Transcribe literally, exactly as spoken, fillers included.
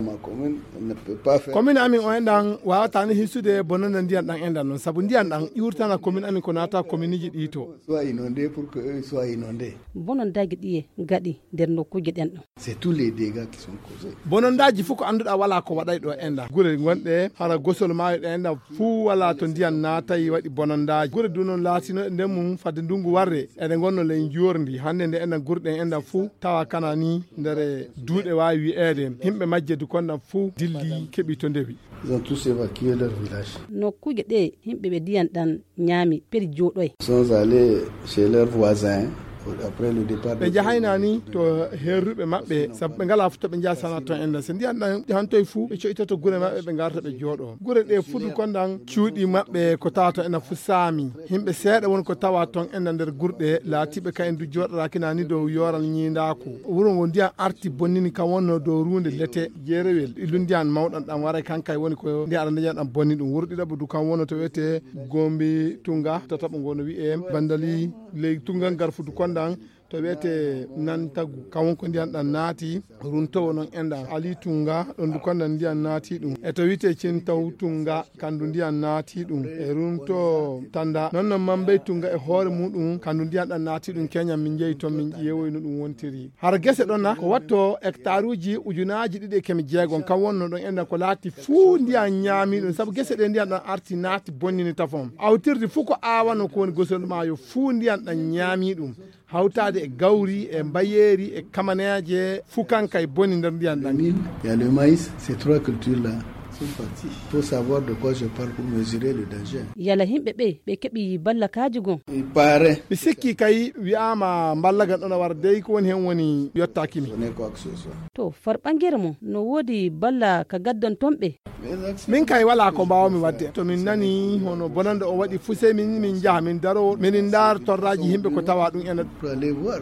Ma commune ne peut pas faire. Commune amin o enɗan wawata ni hisude bononde ndiyan ɗan enɗan non, sabu ndiyan ɗan ƴurtana commune amin ko naata communeji ɗi to. Soit inondé pour que eux soient inondés. Bonondaji ɗi e gaɗi nder nokkuji ɗen ɗon. C'est tous les dégâts qui sont causés. Bonondaji fof ko annduɗa wala ko waɗay ɗo enɗan. Gure gonɗe hara gosol maayo ɗe enɗan fuu wala to ndiyan naatay waɗi bonondaji. Gure du non laatino e nder mum fadde ndungu warre. Eɗe ngonno ley njorndi. Hannde nde enɗan gure ɗen enɗan fuu tawa kana ni nder duuɗe waawi wi'eede. Himɓe majje du konɗan fuu dilli keɓi to ndewi. Ils ont tous évacué leur village. Nokkuuje ɗe yimɓe ɓe ndiyan ɗan ñaami peri jooɗoy. Sont allés chez leurs voisins après le départ. Ɓe njahayna ni to herruɓe maɓɓe, sabu ɓe ngalaa fof to ɓe njahsana toon enɗan. So ndiyan ɗan hantoy fuu, ɓe coytoto gure maɓɓe, ɓe ngarta ɓe jooɗo. Gure ɗe fuu du konɗan cuuɗi maɓɓe ko tawa toon enɗan fuu saami. Himɓe seeɗa woni ko tawa toon enɗan nder gurɗe, laatiiɓe kayen du jooɗoraaki na ni dow yooral ñiindaaku. Wuro ngo ndiyan arti bonnini kan wonno dow ruunde lete jeerewel. Illu ndiyan mawɗan ɗan waray kan kay woni ko ndiyan aɗa ndiyan ɗan bonni ɗum. Wuro ɗiɗaɓo du kan wonno to wiyete Gombi Tunga, tataɓo ngo no wi'e Bandali ley Tunga Ngarfudu konɗan to wiyete Nantagu. Kan won ko ndiyan ɗan naati, runtowo non enɗan Ali Tunga, ɗon du konɗan ndiyan naati ɗum. E to wiyete Cintaw Tunga, kandu ndiyan naati ɗum. E runto Tanda, non non Mambay Tunga e hoore muɗum, kandu ndiyan ɗan naati ɗum. Keñan min jeyi toon, min ƴeewoy no ɗum wontiri. Hara gese ɗon na, ko watto hectare uji ujunaaji ɗiɗi e keme jeegom, kan wonno ɗon enɗan ko laati fuu ndiyan ñaami ɗum, sabu gese ɗe ndiyan ɗan arti naati bonnini tafon. Awtirdi fuu ko aawano ko woni gosol maayo, fuu ndiyan ɗan ñaami ɗum. Hawtaade e gawri, e mbayeeri, e kamaneeje, fuu kan kay boni nder ndiyan ɗan. Mil, il y a le maïs, ces trois cultures-là sont parties. Il faut savoir de quoi je parle pour mesurer le danger. Yala himɓe ɓe, ɓe keɓi ballakaaji gon? Il paraît. Mi sikki kay wi'aama mballagal ɗon a wara dey ko woni hen woni yottaaki mi. Ce n'est quoi que ce soit. To farɓangere mo no woodi balla ka gaddanton ɓe? Min kay walaa ko mbaawmi waɗde. To min nani hono bonande o waɗi fuu, sey min, min njaha, min daro, min ndaar torraaji yimɓe ko tawa ɗum ena. Pour aller voir.